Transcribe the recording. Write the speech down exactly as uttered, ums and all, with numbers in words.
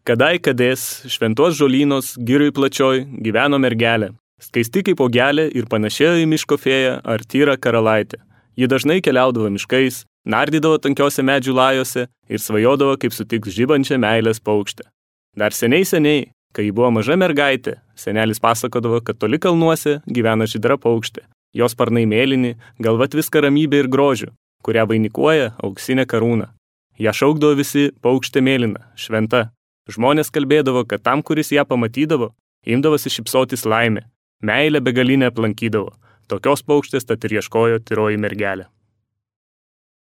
Kadai kadės, šventos žolynos, giriui plačioj, gyveno mergelė. Skaisti kaip augelė ir panašėjo į miško fėją ar tyrą karalaitę. Ji dažnai keliaudavo miškais, nardydavo tankiose medžių lajose ir svajodavo, kaip sutiks žibančią meilės paukštę. Dar seniai seniai, kai ji buvo maža mergaitė, senelis pasakodavo, kad toli kalnuose gyvena žydra paukštė. Jos sparnai mėlyni, galva tviska ramybė ir grožiu, kurią vainikuoja auksinė karūna. Ją šaukdavo visi paukštė mėlyna, šventa. Žmonės kalbėdavo, kad tam, kuris ją pamatydavo, imdavosi šypsotis laimė. Meilė begalinė aplankydavo. Tokios paukštės tad ir ieškojo tyroji mergelė.